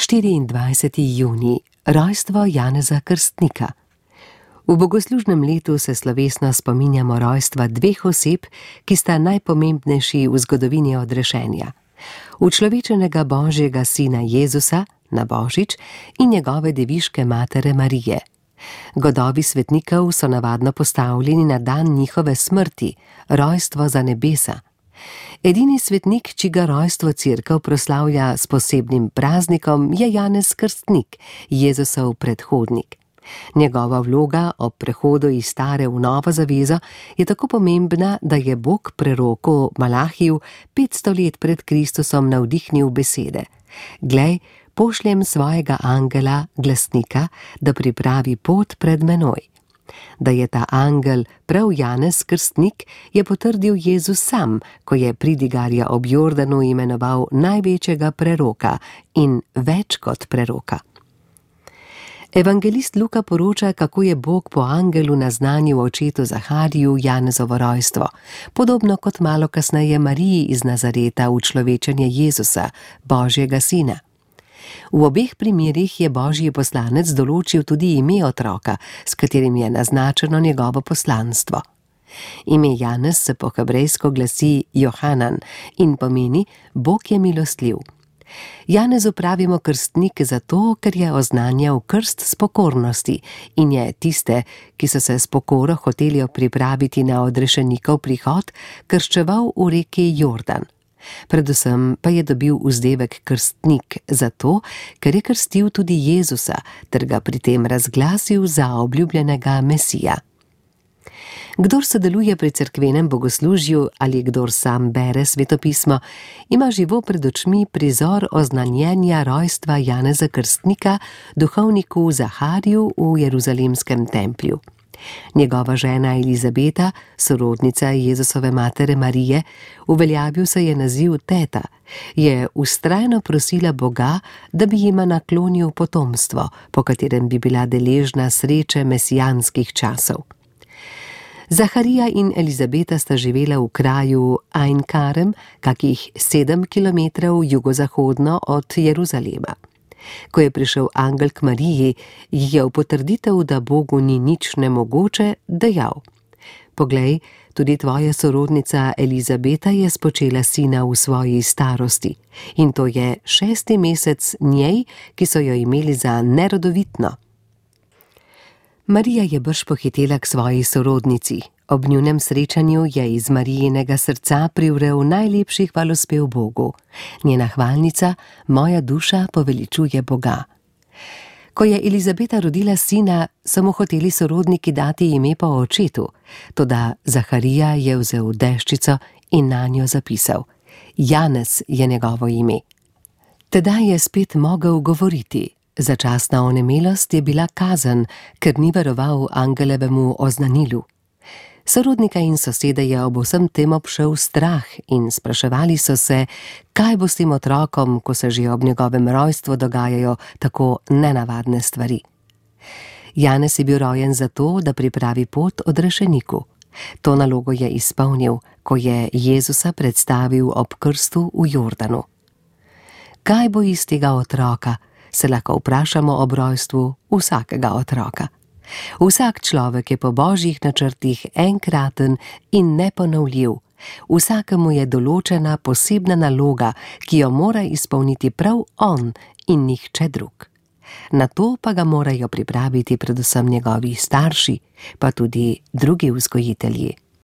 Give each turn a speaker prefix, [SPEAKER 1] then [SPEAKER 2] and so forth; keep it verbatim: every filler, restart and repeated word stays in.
[SPEAKER 1] štiriindvajseti junij, rojstvo Janeza Krstnika. V bogoslužnem letu se slovesno spominjamo rojstva dveh oseb, ki sta najpomembnejši v zgodovini odrešenja. Učlovečenega Božjega sina Jezusa na Božič in njegove deviške matere Marije. Godovi svetnikov so navadno postavljeni na dan njihove smrti, rojstvo za nebesa. Edini svetnik, čiga rojstvo Cerkev proslavlja s posebnim praznikom, je Janez Krstnik, Jezusov predhodnik. Njegova vloga ob prehodu iz stare v novo zavezo je tako pomembna, da je Bog preroku Malahiju petsto let pred Kristusom navdihnil besede: Glej, pošljem svojega angela, glasnika, da pripravi pot pred menoj. Da je ta angel prav Janez Krstnik, je potrdil Jezus sam, ko je pridigarja ob Jordanu imenoval največjega preroka in več kot preroka. Evangelist Luka poroča, kako je Bog po angelu naznanil očetu Zahariju Janezovo rojstvo, podobno kot malo kasneje Mariji iz Nazareta učlovečenje Jezusa, Božjega sina. V obeh primerih je Božji poslanec določil tudi ime otroka, s katerim je naznačeno njegovo poslanstvo. Ime Janez se po hebrejsko glasi Johanan in pomeni Bog je milostljiv. Janezu pravimo krstnik zato, ker je oznanjal krst s pokornosti in je tiste, ki so se s pokoro hoteli pripraviti na odrešenikov prihod, krščeval v reki Jordan. Predvsem pa je dobil vzdevek krstnik zato, ker je krstil tudi Jezusa ter ga pri tem razglasil za obljubljenega Mesija. Kdor sodeluje pri cerkvenem bogoslužju ali kdor sam bere svetopismo, ima živo pred očmi prizor oznanjenja rojstva Janeza Krstnika duhovniku Zahariju v Jeruzalemskem templju. Njegova žena Elizabeta, sorodnica Jezusove matere Marije, uveljavil se je naziv teta, je vztrajno prosila Boga, da bi jima naklonil potomstvo, po katerem bi bila deležna sreče mesijanskih časov. Zaharija in Elizabeta sta živela v kraju Ain Karem, kakih sedem kilometrov jugozahodno od Jeruzalema. Ko je prišel angel k Mariji, je v potrditev, da Bogu ni nič nemogoče, dejal: Poglej, tudi tvoja sorodnica Elizabeta je spočela sina v svoji starosti in to je šesti mesec njej, ki so jo imeli za nerodovitno. Marija je brž pohitela k svoji sorodnici. Ob njunem srečanju je iz Marijinega srca privrel najlepši hvalospev Bogu. Njena hvalnica, moja duša poveličuje Boga. Ko je Elizabeta rodila sina, so mu hoteli sorodniki dati ime po očetu, toda Zaharija je vzel deščico in nanjo zapisal: Janez je njegovo ime. Tedaj je spet mogel govoriti. Začasna onemelost je bila kazen, ker ni veroval angelevemu oznanilu. Sorodnika in sosede je ob vsem tem obšel strah in spraševali so se, kaj bo s tem otrokom, ko se že ob njegovem rojstvu dogajajo tako nenavadne stvari. Janez je bil rojen zato, da pripravi pot odrešeniku. To nalogo je izpolnil, ko je Jezusa predstavil ob krstu v Jordanu. Kaj bo iz tega otroka, se lahko vprašamo ob rojstvu vsakega otroka. Vsak človek je po Božjih načrtih enkraten in neponovljiv. Vsakemu je določena posebna naloga, ki jo mora izpolniti prav on in nihče drug. Na to pa ga morajo pripraviti predvsem njegovi starši, pa tudi drugi vzgojitelji.